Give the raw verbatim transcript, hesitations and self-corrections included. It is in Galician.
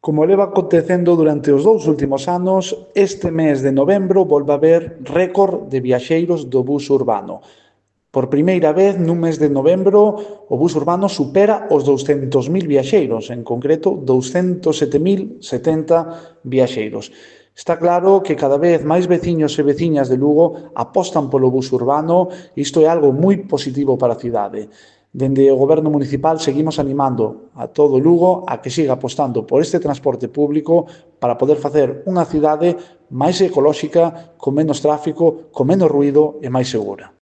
Como leva acontecendo durante os dous últimos anos, este mes de novembro volve a haber récord de viaxeiros do bus urbano. Por primeira vez, nun mes de novembro, o bus urbano supera os douscentos mil viaxeiros, en concreto, douscentos sete mil setenta viaxeiros. Está claro que cada vez máis veciños e veciñas de Lugo apostan polo bus urbano e isto é algo moi positivo para a cidade. Dende o Goberno municipal seguimos animando a todo Lugo a que siga apostando por este transporte público para poder facer unha cidade máis ecolóxica, con menos tráfico, con menos ruído e máis segura.